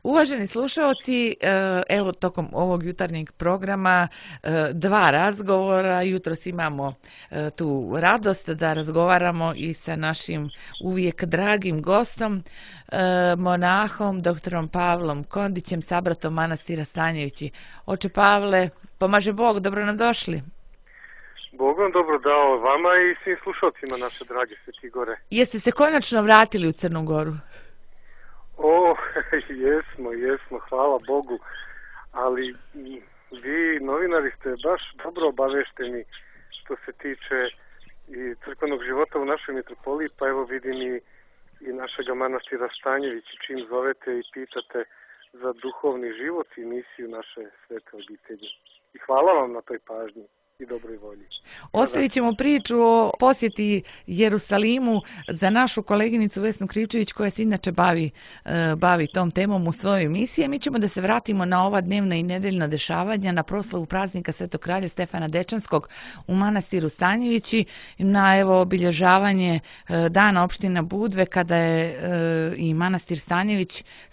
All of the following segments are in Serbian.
Uvaženi slušalci, evo tokom ovog jutarnjeg programa dva razgovora. Jutros imamo tu radost da razgovaramo i sa našim uvijek dragim gostom, monahom, doktorom Pavlom Kondićem, sabratom manastira Stanjevići. Oče Pavle, pomaže Bog, dobro nam došli. Bog vam dobro dao vama i svim slušalcima naše drage Sveti Gore. Jeste se konačno vratili u Crnu Goru? O, jesmo, hvala Bogu, ali vi novinari ste baš dobro obavešteni što se tiče i crkvenog života u našoj mitropoliji, pa evo vidim i našega manastira Stanjevići, čim zovete i pitate za duhovni život i misiju naše svete obitelji. I hvala vam na toj pažnji i dobroj volji. Ostavit ćemo priču o posjeti Jerusalimu za našu koleginicu Vesnu Krivčević, koja se inače bavi tom temom u svojoj emisiji. Mi ćemo da se vratimo na ova dnevna i nedeljna dešavanja, na proslavu praznika Svetog kralja Stefana Dečanskog u manastiru Stanjevići, na obilježavanje dana opština Budve, kada je i manastir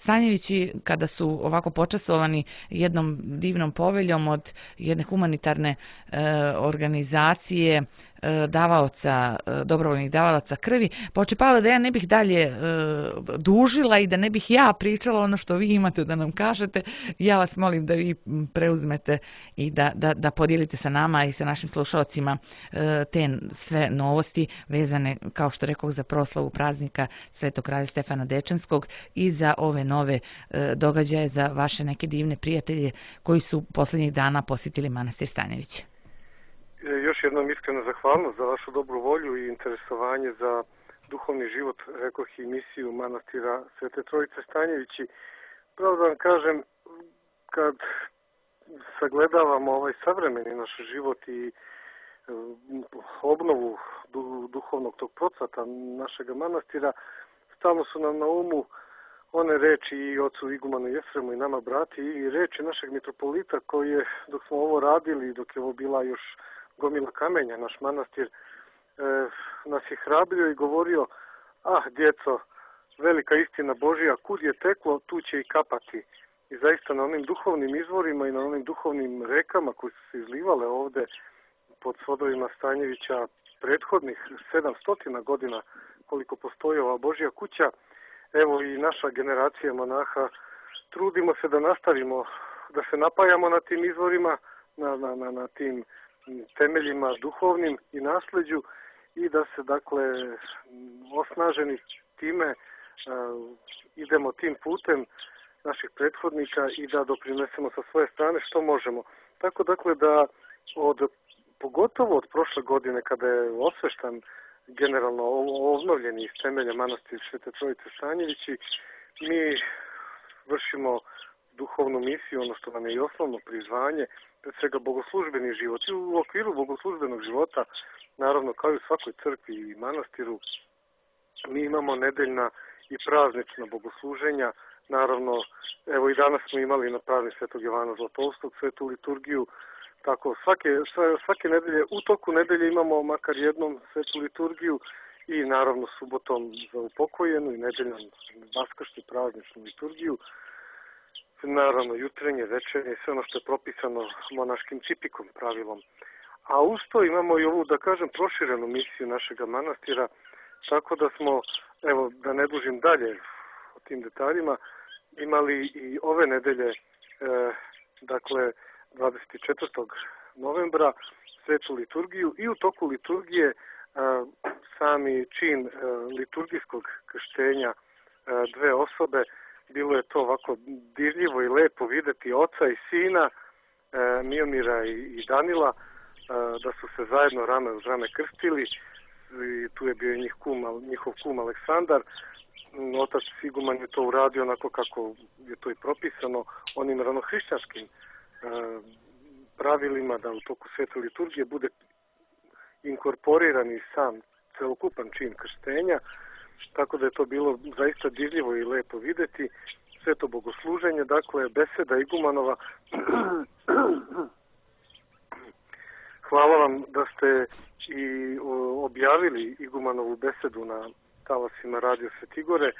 Stanjevići, kada su ovako počasovani jednom divnom poveljom od jedne humanitarne organizacije dobrovoljnih davalaca krvi. Pa oče Pavle, da ja ne bih dalje dužila i da ne bih ja pričala ono što vi imate da nam kažete, ja vas molim da vi preuzmete i da podijelite sa nama i sa našim slušalcima te sve novosti vezane, kao što rekao, za proslavu praznika Svetog kralja Stefana Dečanskog i za ove nove događaje za vaše neke divne prijatelje koji su posljednjih dana posjetili manastir Stanjević. Još jednom iskreno zahvalnost za vašu dobru volju i interesovanje za duhovni život, rekoh, i misiju manastira Svete Trojice Stanjevići. Pravo da vam kažem, kad sagledavamo ovaj savremeni naš život i obnovu duhovnog tog procvata našega manastira, stalno su nam na umu one reči i ocu igumanu Jefremu i nama brati i reči našeg mitropolita koji je, dok smo ovo radili, dok je ovo bila još gomila kamenja, naš manastir, nas je hrabrio i govorio: djeco, velika istina Božija, kud je teklo, tu će i kapati. I zaista na onim duhovnim izvorima i na onim duhovnim rekama koji su se izlivale ovde pod svodovima Stanjevića prethodnih 700 godina koliko postoji ova Božja kuća, evo i naša generacija monaha trudimo se da nastavimo, da se napajamo na tim izvorima, na tim temeljima duhovnim i nasleđu i da se, dakle, osnaženi time idemo tim putem naših prethodnika i da doprinesemo sa svoje strane što možemo. Tako, dakle, da pogotovo od prošle godine, kada je osveštan generalno obnovljeni iz temelja manastir Svete Trojice Stanjevići, mi vršimo duhovnu misiju, ono što nam je i osnovno prizvanje, pred svega bogoslužbeni život. I u okviru bogoslužbenog života, naravno kao i u svakoj crkvi i manastiru, mi imamo nedeljna i praznična bogosluženja. Naravno, evo i danas smo imali na praznik Svetog Jovana Zlatoustog svetu liturgiju. Tako, svake nedelje, u toku nedelje imamo makar jednom svetu liturgiju i naravno subotom za upokojenu i nedeljnom vaskršnju prazničnu liturgiju. Naravno, jutrenje, večernje, sve ono što je propisano monaškim cipikom, pravilom. A uz to imamo i ovu, da kažem, proširenu misiju našega manastira, tako da smo, evo, da ne dužim dalje o tim detaljima, imali i ove nedelje, dakle, 24. novembra svetu liturgiju i u toku liturgije sami čin liturgijskog krštenja dve osobe. Bilo je to ovako dirljivo i lepo videti oca i sina, Miomira i Danila, da su se zajedno rame uz rame krstili. I tu je bio njihov kum Aleksandar. Otac iguman je to uradio onako kako je to i propisano onim ranohrišćanskim pravilima, da u toku svete liturgije bude inkorporiran i sam celokupan čin krštenja, tako da je to bilo zaista dirljivo i lepo videti. Sveto bogosluženje, dakle, beseda igumanova. Hvala vam da ste i objavili igumanovu besedu na talasima Radio Svetigore,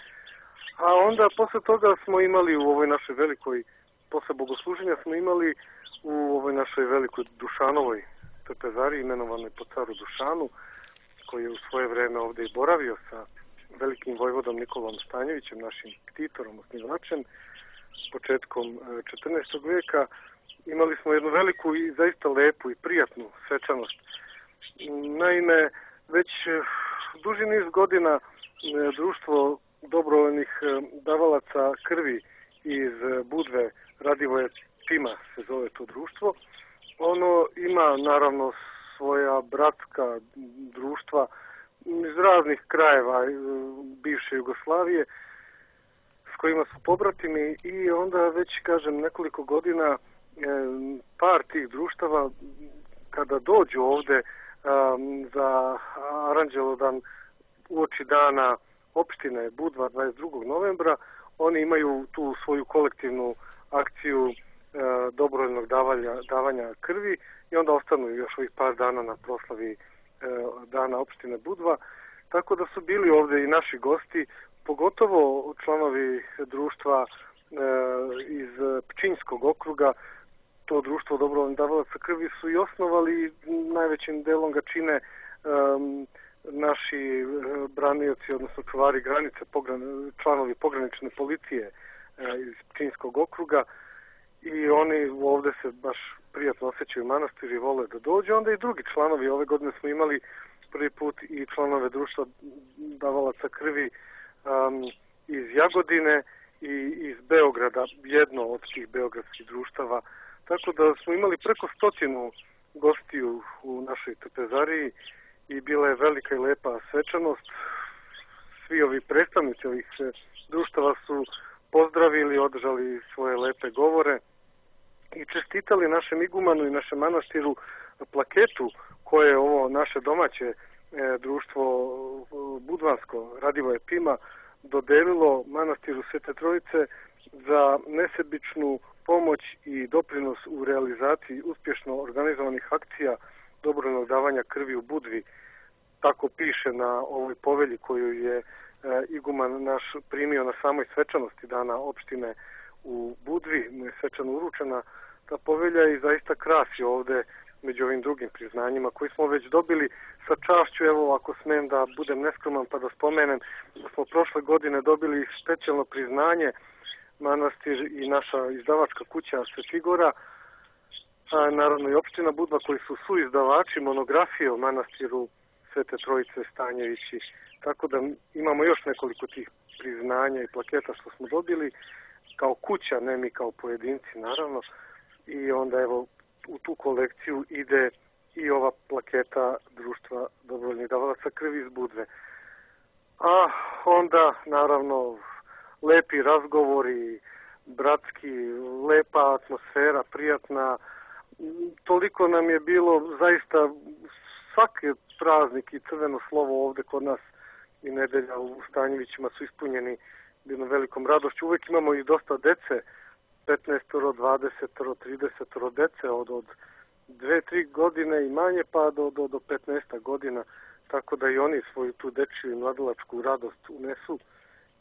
A onda posle toga smo imali u ovoj našoj velikoj, posle bogosluženja smo imali u ovoj našoj velikoj Dušanovoj trpezariji imenovanoj po caru Dušanu, koji je u svoje vreme ovde i boravio sa velikim vojvodom Nikolom Stanjevićem, našim ktitorom, osnivačem, početkom 14. veka. Imali smo jednu veliku i zaista lepu i prijatnu svečanost. Naime, već duži niz godina društvo dobrovoljnih davalaca krvi iz Budve, Radivoje Pima se zove to društvo. Ono ima naravno svoja bratska društva iz raznih krajeva bivše Jugoslavije s kojima su pobratimi i onda već, kažem, nekoliko godina par tih društava kada dođu ovde za Aranđelodan uoči dana opštine Budva 22. novembra, oni imaju tu svoju kolektivnu akciju dobrovoljnog davanja krvi i onda ostanu još ovih par dana na proslavi dana opštine Budva. Tako da su bili ovde i naši gosti, pogotovo članovi društva iz Pčinjskog okruga. To društvo dobrovoljnih davalaca krvi su i osnovali i najvećim delom ga čine naši branioci, odnosno čuvari granice, članovi pogranične policije iz Pčinjskog okruga i oni ovde se baš prijatno osjećaju u manastiru i vole da dođu. Onda i drugi članovi, ove godine smo imali prvi put i članove društva davalaca krvi iz Jagodine i iz Beograda, jedno od tih beogradskih društava. Tako da smo imali preko 100 gostiju u našoj trpezariji i bila je velika i lepa svečanost. Svi ovi predstavnici ovih društava su pozdravili, održali svoje lepe govore i čestitali našem igumanu i našem manastiru plaketu koje je ovo naše domaće društvo budvansko Radivoje Pima dodelilo manastiru Svete Trojice za nesebičnu pomoć i doprinos u realizaciji uspješno organizovanih akcija dobrovoljnog davanja krvi u Budvi. Tako piše na ovoj povelji koju je iguman naš primio na samoj svečanosti dana opštine u Budvi, mu je svečano uručena ta povelja i zaista krasi ovde među ovim drugim priznanjima koji smo već dobili sa čašću. Evo, ako smem da budem neskroman pa da spomenem da smo prošle godine dobili specijalno priznanje manastir i naša izdavačka kuća Svetigora, a naravno i opština Budva koji su suizdavači monografije o manastiru Svete Trojice Stanjevići. Tako da imamo još nekoliko tih priznanja i plaketa što smo dobili kao kuća, ne mi kao pojedinci naravno. I onda evo u tu kolekciju ide i ova plaketa društva dobrovoljnih davalaca krvi iz Budve. A onda naravno lepi razgovori, bratski, lepa atmosfera, prijatna. Toliko nam je bilo zaista svaki praznik i crveno slovo ovde kod nas i nedelja u Stanjevićima su ispunjeni jednom velikom radošću. Uvek imamo i dosta dece, 15, 20, 30 dece od 2-3 godine i manje pa do 15 godina. Tako da i oni svoju tu dečiju i mladalačku radost unesu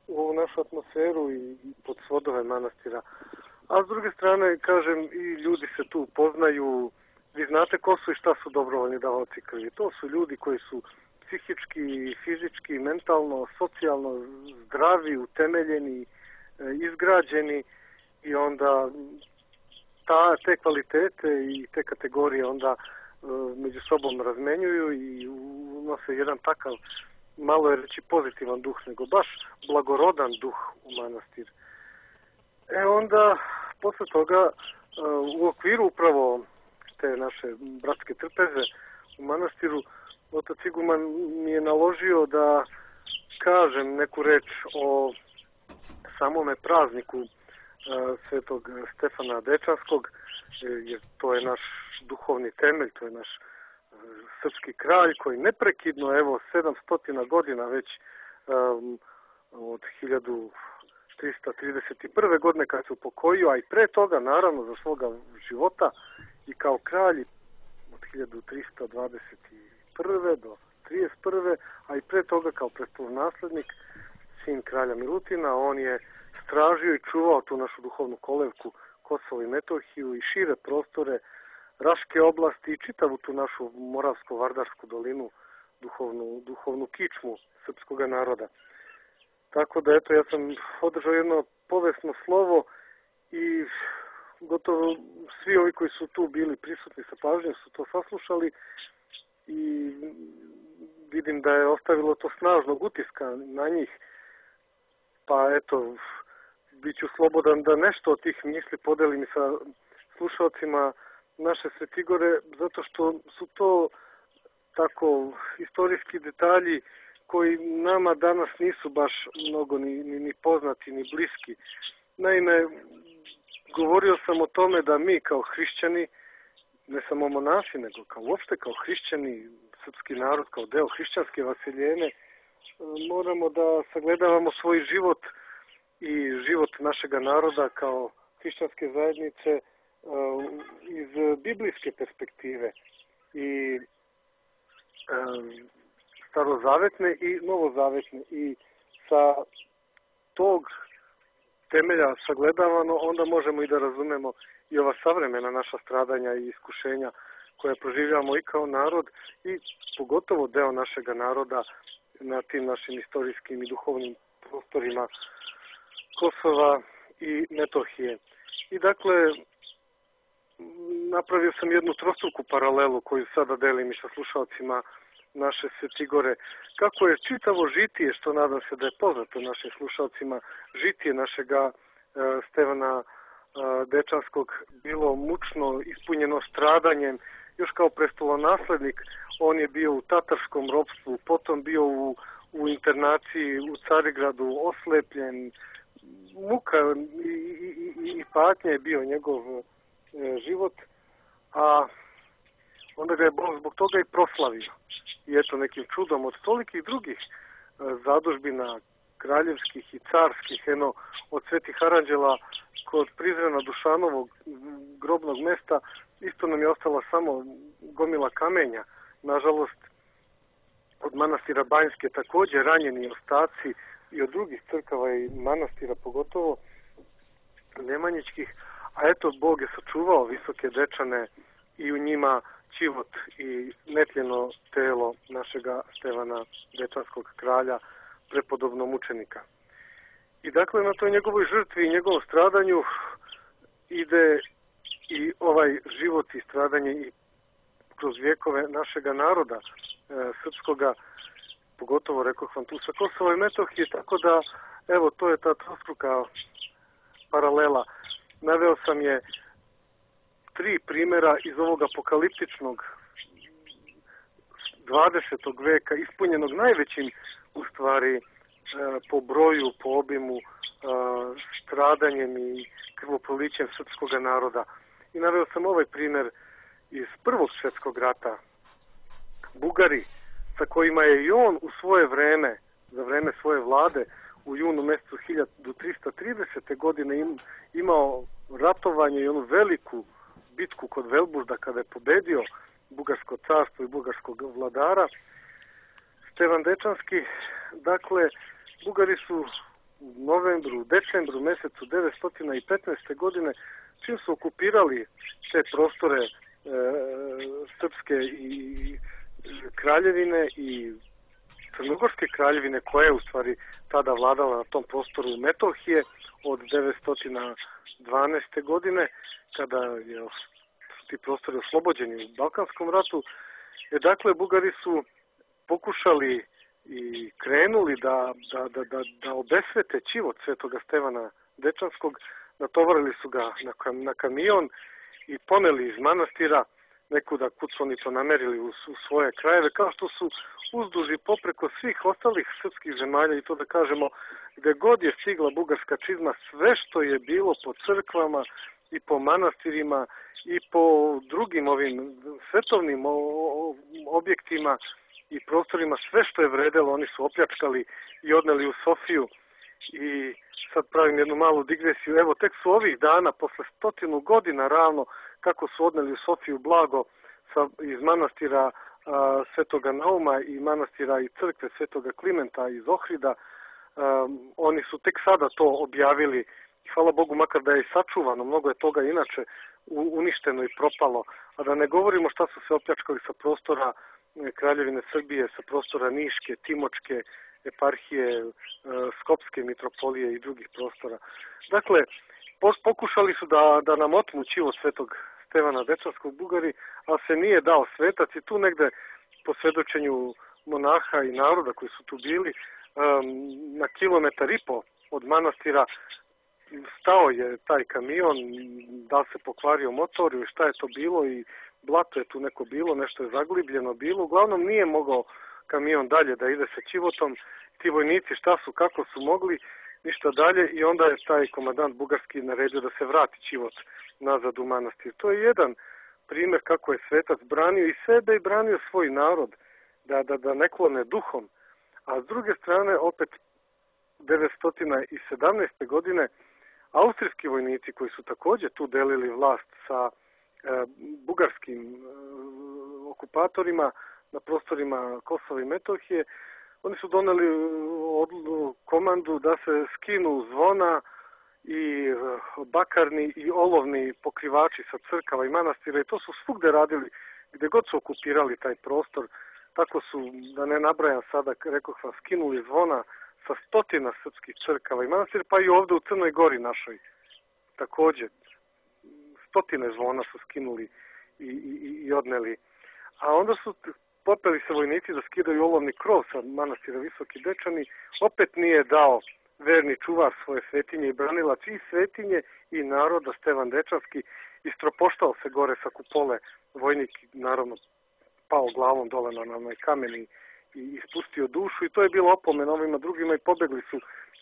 u ovu našu atmosferu i pod svodove manastira. A s druge strane, kažem, i ljudi se tu poznaju. Vi znate ko su i šta su dobrovoljni davaoci krvi. To su ljudi koji su psihički, fizički, mentalno, socijalno zdravi, utemeljeni, izgrađeni i onda te kvalitete i te kategorije onda među sobom razmenjuju i unose jedan takav, malo je reći pozitivan duh, nego baš blagorodan duh u manastir. Onda, posle toga, u okviru upravo te naše bratske trpeze u manastiru, otac iguman mi je naložio da kažem neku reč o samome prazniku Svetog Stefana Dečanskog, jer to je naš duhovni temelj, to je naš srpski kralj koji neprekidno, evo, 700 godina već od 1331. godine kad se upokojio, a i pre toga, naravno, za svoga života i kao kralj od 1321. do 31. a i pre toga kao prestolonaslednik sin kralja Milutina, on je stražio i čuvao tu našu duhovnu kolevku Kosovo i Metohiju i šire prostore Raške oblasti i čitavu tu našu Moravsko-Vardarsku dolinu, duhovnu kičmu srpskog naroda. Tako da, eto, ja sam održao jedno povesno slovo i gotovo svi ovi koji su tu bili prisutni sa pažnjom su to saslušali i vidim da je ostavilo to snažnog utiska na njih. Pa eto, bit ću slobodan da nešto od tih misli podelim sa slušalcima naše Svetigore, zato što su to tako istorijski detalji koji nama danas nisu baš mnogo ni poznati, ni bliski. Naime, govorio sam o tome da mi kao hrišćani, ne samo monasi, nego uopšte kao hrišćani, srpski narod, kao deo hrišćanske vaseljene, moramo da sagledavamo svoj život i život našega naroda kao hrišćanske zajednice iz biblijske perspektive i starozavetne i novozavetne. I sa tog temelja sagledavano, onda možemo i da razumemo i ova savremena naša stradanja i iskušenja koje proživljamo i kao narod i pogotovo deo našega naroda na tim našim istorijskim i duhovnim prostorima Kosova i Metohije. I dakle, napravio sam jednu trostruku paralelu koju sada delim i sa slušalcima naše Svetigore. Kako je čitavo žitije, što nadam se da je poznato našim slušalcima, žitije našega Stevana Dečanskog bilo mučno, ispunjeno stradanjem. Još kao prestolonaslednik on je bio u tatarskom ropstvu, potom bio u internaciji u Carigradu, oslepljen. Muka i patnja je bio njegov život, a onda ga je Bog zbog toga i proslavio. I eto, nekim čudom od tolikih drugih zadužbina kraljevskih i carskih, od svetih aranđela kod Prizrena Dušanovog grobnog mesta, isto nam je ostala samo gomila kamenja. Nažalost, od manastira Banjske također ranjeni ostaci i od drugih crkava i manastira, pogotovo nemanjičkih, a eto, Bog je sačuvao Visoke Dečane i u njima čivot i netljeno telo našega Stevana Dečanskog kralja, prepodobnog mučenika. I dakle, na toj njegovoj žrtvi i njegovom stradanju ide i ovaj život i stradanje i kroz vjekove našega naroda srpskoga, pogotovo, rekoh vam, tu sa Kosova i Metohije, tako da, evo, to je ta trostruka paralela. Naveo sam je 3 primjera iz ovog apokaliptičnog 20. veka, ispunjenog najvećim, u stvari, po broju, po obimu, stradanjem i krvoprolićem srpskog naroda. I naveo sam ovaj primjer iz Prvog svjetskog rata. Bugari, sa kojima je i on u svoje vreme, za vreme svoje vlade, u junu mjesecu 1330. godine imao ratovanje i onu veliku bitku kod Velbužda kada je pobedio Bugarsko carstvo i bugarskog vladara Stevan Dečanski. Dakle, Bugari su u decembru mjesecu 915. godine, čim su okupirali te prostore srpske i kraljevine i Crnogorske kraljevine, koja je u stvari tada vladala na tom prostoru Metohije od 912. godine, kada je ti prostori oslobođeni u Balkanskom ratu. Dakle, Bugari su pokušali i krenuli da obesvete čivot svetoga Stevana Dečanskog, natovarili su ga na kamion i poneli iz manastira nekuda kud su oni to namerili u svoje krajeve, kao što su uzduž i popreko svih ostalih srpskih zemalja, i to da kažemo, gde god je stigla bugarska čizma, sve što je bilo po crkvama i po manastirima i po drugim ovim svetovnim objektima i prostorima, sve što je vredelo, oni su opljačkali i odneli u Sofiju. I sad pravim jednu malu digresiju. Evo, tek su ovih dana, posle 100 godina ravno, kako su odneli u Sofiju blago iz manastira Svetoga Nauma i manastira i crkve Svetoga Klimenta iz Ohrida, Oni su tek sada to objavili i hvala Bogu makar da je sačuvano, mnogo je toga inače uništeno i propalo, a da ne govorimo šta su se opljačkali sa prostora Kraljevine Srbije, sa prostora Niške, Timočke, eparhije, Skopske mitropolije i drugih prostora. Dakle, pokušali su da nam otmu ćivo svetog Stevana Dečanskog Bugari, ali se nije dao svetac i tu negde po svedočenju monaha i naroda koji su tu bili, na 1,5 kilometra od manastira stao je taj kamion, da se pokvario motor ili šta je to bilo i blato je tu neko bilo, nešto je zaglibljeno bilo. Uglavnom nije mogao kamion dalje da ide sa ćivotom. Ti vojnici šta su, kako su mogli, ništa dalje i onda je taj komandant bugarski naredio da se vrati ćivot nazad u manastir. To je jedan primjer kako je svetac branio i sebe i branio svoj narod, da ne klone duhom. A s druge strane, opet 917. godine, austrijski vojnici koji su također tu delili vlast sa bugarskim okupatorima na prostorima Kosova i Metohije, oni su doneli komandu da se skinu zvona i bakarni i olovni pokrivači sa crkava i manastira i to su svugde radili gdje god su okupirali taj prostor. Tako su, da ne nabrajam sada, rekoh vam, skinuli zvona sa 100 srpskih crkava i manastira, pa i ovdje u Crnoj Gori našoj. Također, 100 zvona su skinuli i odneli. A onda su popeli se vojnici da skidaju olovni krov sa manastira Visoki Dečani, opet nije dao verni čuvar svoje svetinje i branilac i svetinje i naroda Stevan Dečanski, istropoštao se gore sa kupole, vojnik naravno pao glavom dole na onaj kamen i ispustio dušu i to je bilo opomena ovima drugima i pobegli su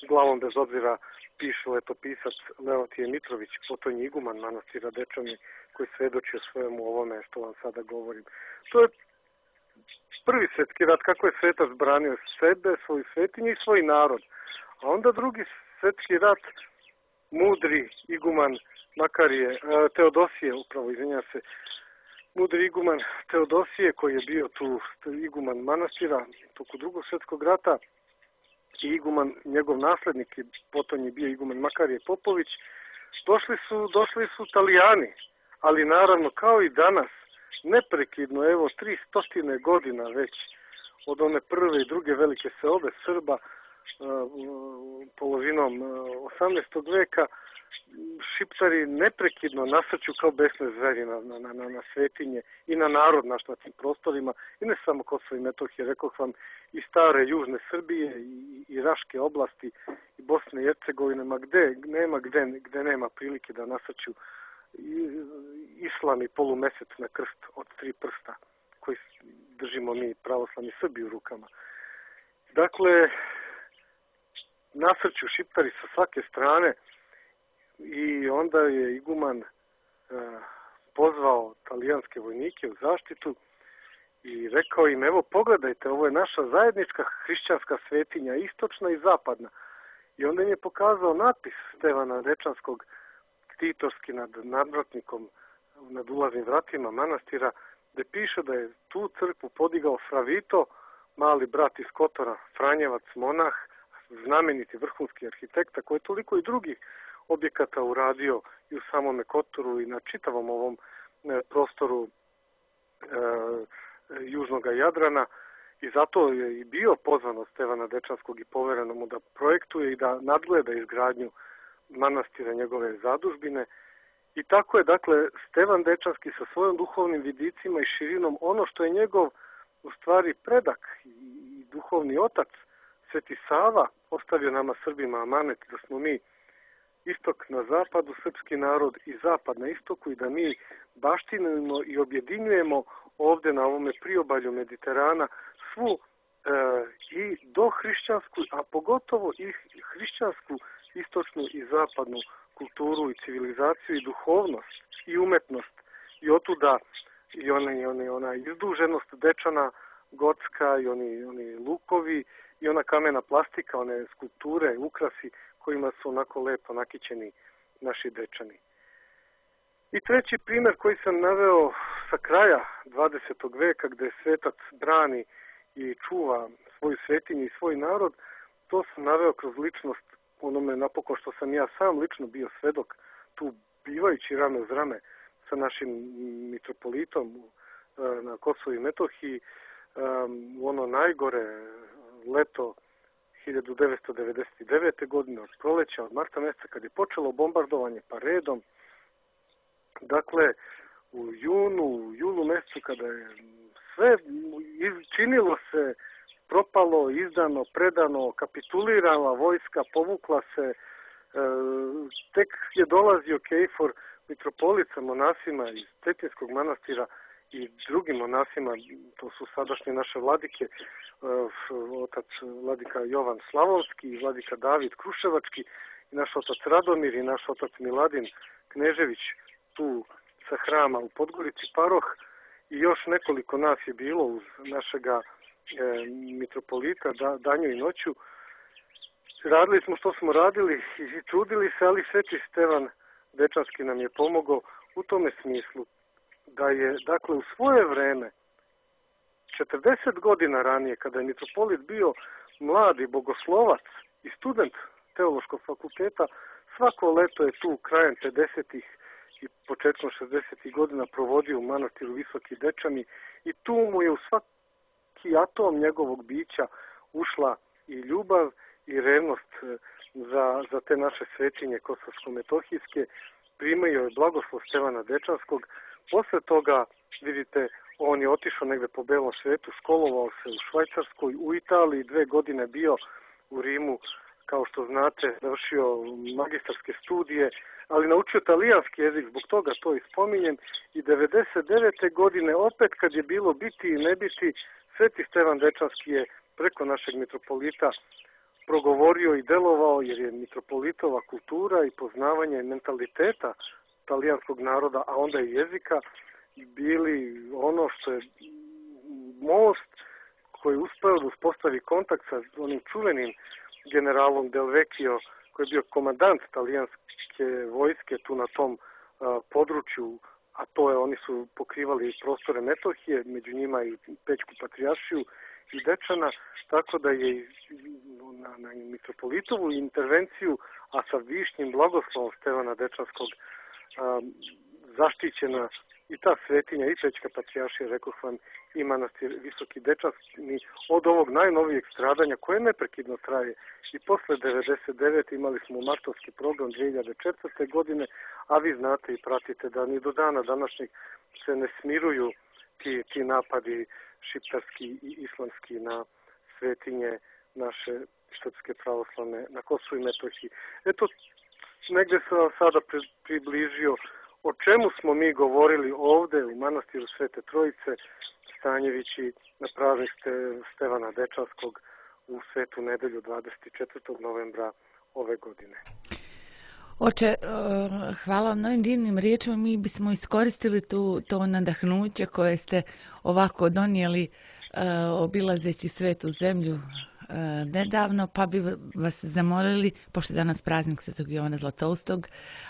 glavom bez obzira, piše letopisac Leontije Mitrović, potonji iguman manastira Dečani, koji svedoči o svojemu ovome što vam sada govorim. To je prvi svjetski rat, kako je svetac branio sebe, svoju svetinju i svoj narod. A onda drugi svjetski rat, mudri iguman Makarije, Teodosije, upravo izvinjam se, mudri iguman Teodosije koji je bio tu iguman manastira toku Drugog svjetskog rata i iguman, njegov naslednik, potom je bio iguman Makarije Popović, došli su Italijani, ali naravno kao i danas, neprekidno, evo 300 godina već od one prve i druge velike seobe Srba polovinom 18. veka, Šiptari neprekidno nasrću kao besne zveri na svetinje i na narod naš na tim prostorima i ne samo Kosovo i Metohije, rekoh vam i stare južne Srbije i Raške oblasti i Bosne i Hercegovine, gde nema prilike da nasrću islam i polumesec na krst od 3 prsta koji držimo mi pravoslavni Srbi u rukama. Dakle, nasrću Šiptari sa svake strane i onda je iguman pozvao talijanske vojnike u zaštitu i rekao im, evo pogledajte, ovo je naša zajednička hrišćanska svetinja, istočna i zapadna. I onda im je pokazao natpis Stevana Dečanskog ktitorski nad nadvratnikom, nad ulaznim vratima manastira, gde piše da je tu crkvu podigao Fravito, mali brat iz Kotora, Franjevac, monah, znameniti vrhunski arhitekta, koji je toliko i drugih objekata uradio i u samome Kotoru i na čitavom ovom prostoru južnog Jadrana i zato je i bio pozvan od Stevana Dečanskog i povereno mu da projektuje i da nadgleda izgradnju manastira, njegove zadužbine. I tako je, dakle, Stevan Dečanski sa svojim duhovnim vidicima i širinom, ono što je njegov u stvari predak i duhovni otac, Sveti Sava, ostavio nama Srbima amanet da smo mi istok na zapadu, srpski narod i zapad na istoku i da mi baštinimo i objedinjujemo ovde na ovome priobalju Mediterana svu i dohrišćansku, a pogotovo i hrišćansku, istočnu i zapadnu kulturu i civilizaciju i duhovnost i umetnost. I otuda i ona izduženost Dečana gotska i oni lukovi i ona kamena plastika, one skulpture, ukrasi kojima su onako lepo nakićeni naši Dečani. I treći primjer koji sam naveo sa kraja 20. veka gde svetac brani i čuva svoju svetinju i svoj narod, to sam naveo kroz ličnost onome napokon što sam ja sam lično bio svedok tu bivajući rame uz rame sa našim mitropolitom na Kosovu i Metohiji u ono najgore leto 1999. godine od proleća, od marta mjeseca kad je počelo bombardovanje pa redom. Dakle, u julu mjesecu kada je sve činilo se propalo, izdano, predano, kapitulirala vojska, povukla se, tek je dolazio Kejfor, mitropolit sa monasima iz Cetinskog manastira i drugim monasima, to su sadašnje naše vladike, otac vladika Jovan Slavonski i vladika David Kruševački i naš otac Radomir i naš otac Miladin Knežević tu sa hrama u Podgorici Paroh i još nekoliko nas je bilo uz našega mitropolita danju i noću. Radili smo što smo radili i trudili se, ali Sveti Stevan Dečanski nam je pomogao u tome smislu da je, dakle, u svoje vreme 40 godina ranije, kada je mitropolit bio mladi bogoslovac i student teološkog fakulteta, svako leto je tu krajem 50-ih i početkom 60-ih godina provodio u manastiru Visoki Dečani i tu mu je u svaki atom njegovog bića ušla i ljubav i revnost za te naše svetinje kosovsko-metohijske. Primio je blagoslov Stevana Dečanskog. Posle toga, vidite, on je otišao negde po belom svetu, školovao se u Švajcarskoj, u Italiji, 2 godine bio u Rimu, kao što znate, završio magistarske studije, ali naučio talijanski jezik, zbog toga to i spominjem. I 99. godine, opet kad je bilo biti i ne biti, Sveti Stevan Dečanski je preko našeg mitropolita progovorio i delovao, jer je mitropolitova kultura i poznavanje mentaliteta talijanskog naroda, a onda i jezika, bili ono što je most koji je uspeo da uspostavi kontakt sa onim čuvenim generalom Del Vecchio, koji je bio komandant talijanske vojske tu na tom području, a to je, oni su pokrivali prostore Metohije, među njima i Pećku patrijaršiju i Dečana, tako da je na mitropolitovu intervenciju, a sa višnjim blagoslovom Stevana Dečanskog zaštićena i ta svetinja i Pećka patrijaršija, rekoh vam, i manastir Visoki Dečanski od ovog najnovijeg stradanja koje neprekidno traje. I posle 99. imali smo martovski program 2004. godine, a vi znate i pratite da ni do dana današnjeg se ne smiruju ti napadi šiptarski i islamski na svetinje naše srpske pravoslavne na Kosovu i Metohiji. Eto, negde sam vam sada približio o čemu smo mi govorili ovde u manastiru Svete Trojice, Stanjevići, na praznik Stevana Dečanskog u Svetu nedelju 24. novembra ove godine. Oče, hvala vam novim divnim riječima. Mi bismo iskoristili to nadahnuće koje ste ovako donijeli obilazeći svetu zemlju nedavno, pa bi vas zamolili, pošto je danas praznik Svetog Jovana Zlatoustog,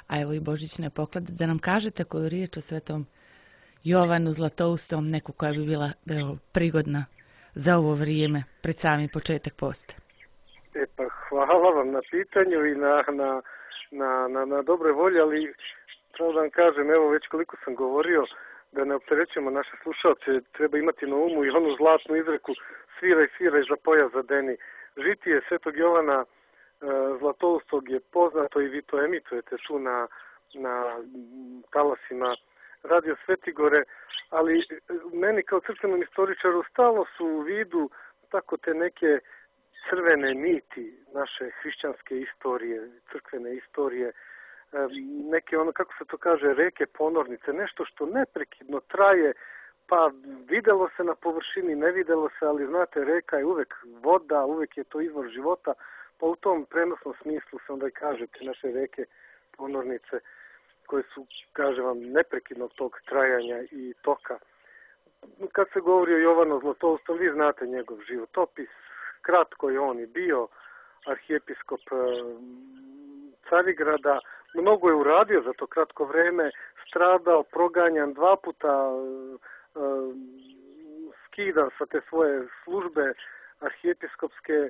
a evo i božićne poklade, da nam kažete koju riječ o Svetom Jovanu Zlatoustom, neku koja bi bila prigodna za ovo vrijeme, pred sami početak posta. Pa hvala vam na pitanju i na dobre volje, ali pravo da vam kažem, evo već koliko sam govorio, da ne opterećujemo naše slušalce, treba imati na umu i onu zlatnu izreku sviraj za pojas zadeni. Žitije Svetog Jovana Zlatoustog je poznato i vi to emitujete tu na talasima Radio Svetigore, ali meni kao crkvenom istoričaru stalno su u vidu tako te neke crvene niti naše hrišćanske istorije, crkvene istorije, neke ono, kako se to kaže, reke ponornice, nešto što neprekidno traje, pa videlo se na površini, ne videlo se, ali znate, reka je uvek voda, uvek je to izvor života, pa u tom prenosnom smislu se onda i kažete naše reke ponornice koje su, kažem vam, neprekidnog tog trajanja i toka. Kad se govori o Jovanu Zlatoustom, vi znate njegov životopis, kratko je on i bio arhijepiskop Carigrada, mnogo je uradio za to kratko vreme, stradao, proganjan, 2 puta skidan sa te svoje službe arhijepiskopske,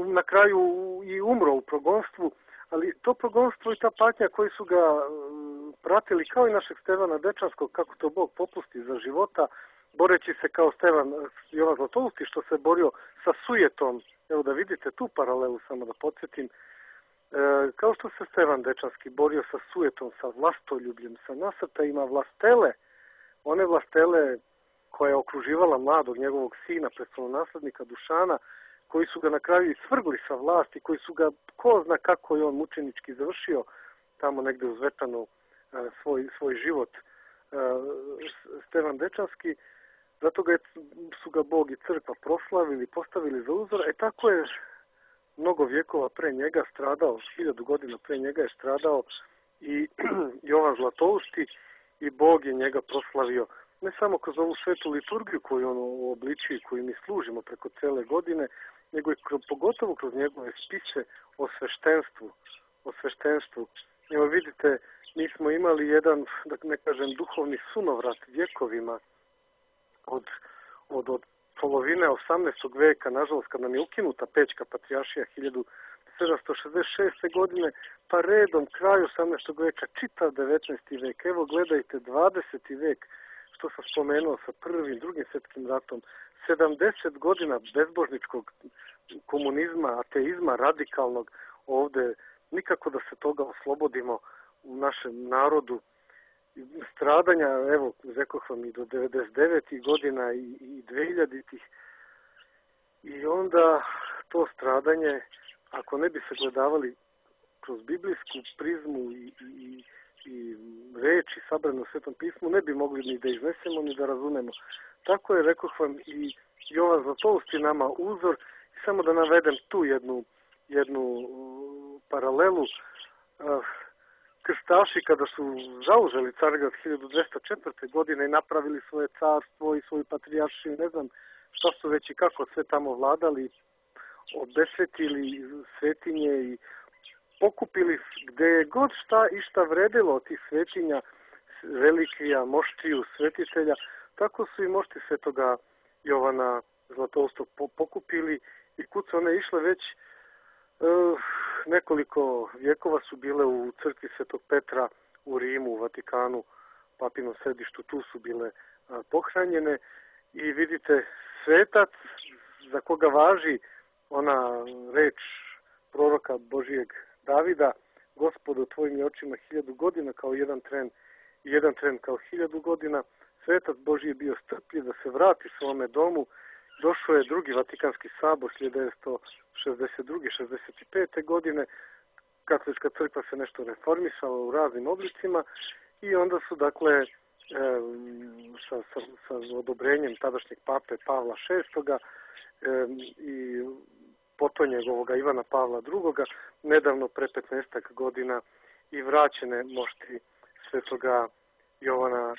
na kraju i umro u progonstvu, ali to progonstvo i ta patnja koji su ga pratili kao i našeg Stevana Dečanskog, kako to Bog popusti za života, boreći se kao Jovan Zlatousti što se borio sa sujetom. Evo da vidite tu paralelu, samo da podsjetim. Kao što se Stevan Dečanski borio sa sujetom, sa vlastoljubljem, sa nasrtajima vlastele, one vlastele koja je okruživala mladog njegovog sina, prestolonaslednika Dušana, koji su ga na kraju svrgli sa vlasti, koji su ga, ko zna kako je on mučenički završio tamo negde u Zvetanu svoj život, Stevan Dečanski, zato su ga Bog i crkva proslavili, postavili za uzor, tako je mnogo vjekova pre njega stradao, 1000 godina pre njega je stradao i Jovan Zlatousti i Bog je njega proslavio ne samo kroz ovu svetu liturgiju koju on uobličuje, koju mi služimo preko cele godine, nego i pogotovo kroz njegove spise o sveštenstvu. Evo vidite, mi smo imali jedan, da ne kažem, duhovni sunovrat vjekovima od polovine 18. veka, nažalost, kad nam je ukinuta Pećka patrijaršija 1766. godine, pa redom kraj 18. veka, čitav 19. vek. Evo gledajte, 20. vek, što sam spomenuo sa prvim, drugim svjetskim ratom, 70 godina bezbožničkog komunizma, ateizma, radikalnog ovde, nikako da se toga oslobodimo u našem narodu, stradanja, evo, rekoh vam i do 99. godina i 2000-ih. I onda to stradanje, ako ne bi se gledavali kroz biblijsku prizmu i reči sabrane u Svetom pismu, ne bi mogli ni da iznesemo, ni da razumemo. Tako je, rekoh vam, i Jovan Zlatousti nama uzor. I samo da navedem tu jednu paralelu. Krstaši kada su zauzeli Carigrad 1204. godine i napravili svoje carstvo i svoju patrijaršiju, ne znam šta su već i kako sve tamo vladali, obesvetili svetinje i pokupili gde je god šta i šta vredilo od tih svetinja, relikvija, moštiju, svetitelja, tako su i mošti svetoga Jovana Zlatoustog pokupili i kud su one išle već nekoliko vjekova su bile u crkvi Svetog Petra u Rimu, u Vatikanu, papinom središtu, tu su bile pohranjene i vidite svetac za koga važi ona reč proroka Božijeg Davida, Gospodu tvojim je očima 1000 godina kao jedan tren i jedan tren kao 1000 godina. Svetac Božji je bio strpljiv da se vrati svome domu. Došao je drugi Vatikanski sabor 1962-65. godine. Katolička crkva se nešto reformisala u raznim oblicima i onda su, dakle, sa odobrenjem tadašnjeg pape Pavla VI i potonjegovoga Ivana Pavla II. Nedavno pre 15 godina i vraćene mošti svetoga Jovana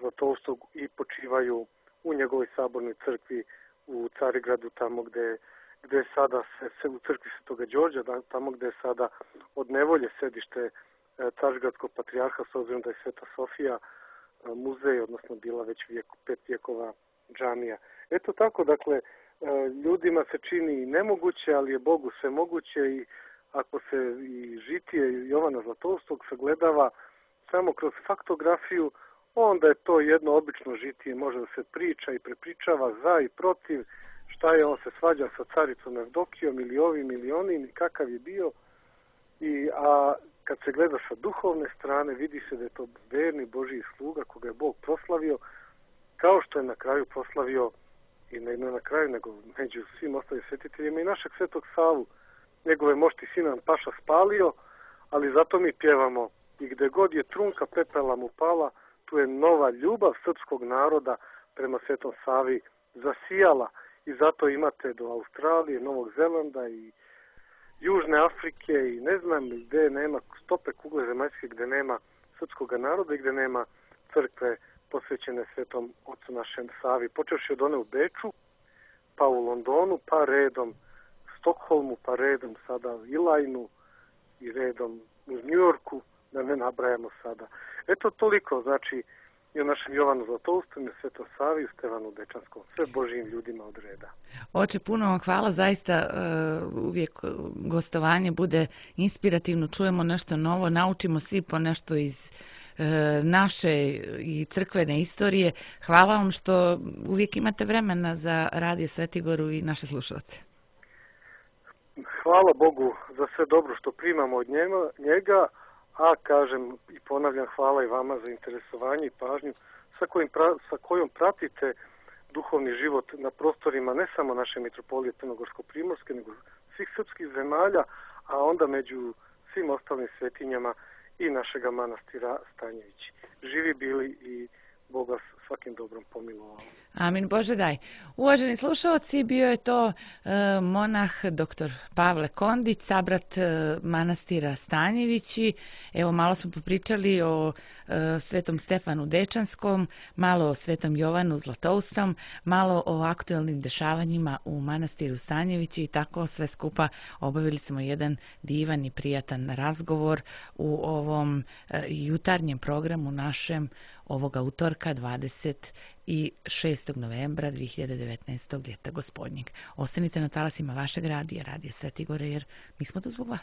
Zlatoustog i počivaju u njegovoj sabornoj crkvi u Carigradu, tamo gde je sada u crkvi Svetoga Đorđa, tamo gde je sada od nevolje sedište Carigradskog patrijarha, s obzirom da je Sveta Sofija muzej, odnosno bila već 5 vjekova džamija. Eto tako, dakle, ljudima se čini nemoguće, ali je Bogu sve moguće i ako se i žitije Jovana Zlatoustog sagledava samo kroz faktografiju, onda je to jedno obično žitije, može da se priča i prepričava za i protiv, šta je, on se svađa sa caricom Evdokijom ili ovim ili onim, kakav je bio. A kad se gleda sa duhovne strane, vidi se da je to verni Božji sluga koga je Bog proslavio, kao što je na kraju proslavio i ne na kraju, nego među svim ostalim svetiteljima i našeg Svetog Savu. Njegove mošti Sinan Paša spalio, ali zato mi pjevamo i gde god je trunka pepela mu pala, tu je nova ljubav srpskog naroda prema Svetom Savi zasijala i zato imate do Australije, Novog Zelanda i Južne Afrike i ne znam gde nema stope kugle zemaljske, gde nema srpskog naroda i gde nema crkve posvećene Svetom Ocu našem Savi. Počevši od one u Beču, pa u Londonu, pa redom Stokholmu, pa redom sada u Ilajnu i redom u Njujorku, da ne nabrajamo sada. Eto toliko, znači i o našem Jovanu Zlatoustom, Svetom Savi i Stevanu Dečanskom, sve Božijim ljudima od reda. Oče, puno vam hvala, zaista uvijek gostovanje bude inspirativno, čujemo nešto novo, naučimo svi po nešto iz naše i crkvene istorije. Hvala vam što uvijek imate vremena za Radio Svetigoru i naše slušalce. Hvala Bogu za sve dobro što primamo od njega, a kažem i ponavljam hvala i vama za interesovanje i pažnju sa kojom pratite duhovni život na prostorima ne samo naše mitropolije Crnogorsko-Primorske, nego svih srpskih zemalja, a onda među svim ostalim svetinjama i našega manastira Stanjevići. Živi bili i Bog vas svakim dobrom pomilovao. Amin, Bože daj. Uvaženi slušalci, bio je to monah dr. Pavle Kondić, sabrat manastira Stanjevići. Evo, malo smo popričali o Svetom Stefanu Dečanskom, malo o Svetom Jovanu Zlatoustom, malo o aktuelnim dešavanjima u manastiru Stanjevići i tako sve skupa obavili smo jedan divan i prijatan razgovor u ovom jutarnjem programu našem ovoga utorka 26. novembra 2019. ljeta gospodnjeg. Ostanite na talasima vašeg radija, Radija Svetigore, jer mi smo tu zbog vas.